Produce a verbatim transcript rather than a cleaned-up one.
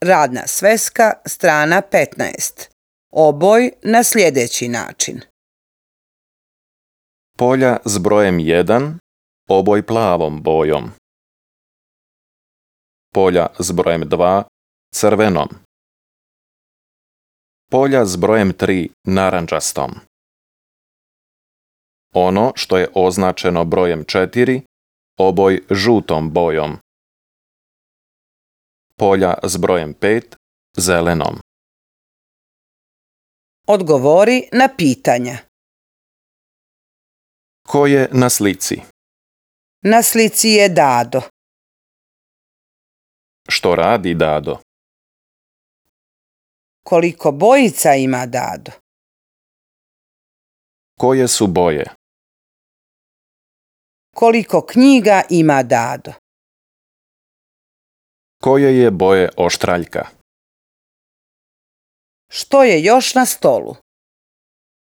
Radna sveska, strana petnaest. Oboj na sljedeći način. Polja s brojem jedan, oboj plavom bojom. Polja s brojem dva, crvenom. Polja s brojem tri, narančastom. Ono što je označeno brojem četiri, oboj žutom bojom. Polja s brojem pet, zelenom. Odgovori na pitanja. Ko je na slici? Na slici je Dado. Što radi Dado? Koliko bojica ima Dado? Koje su boje? Koliko knjiga ima Dado? Koje je boje oštraljka? Što je još na stolu?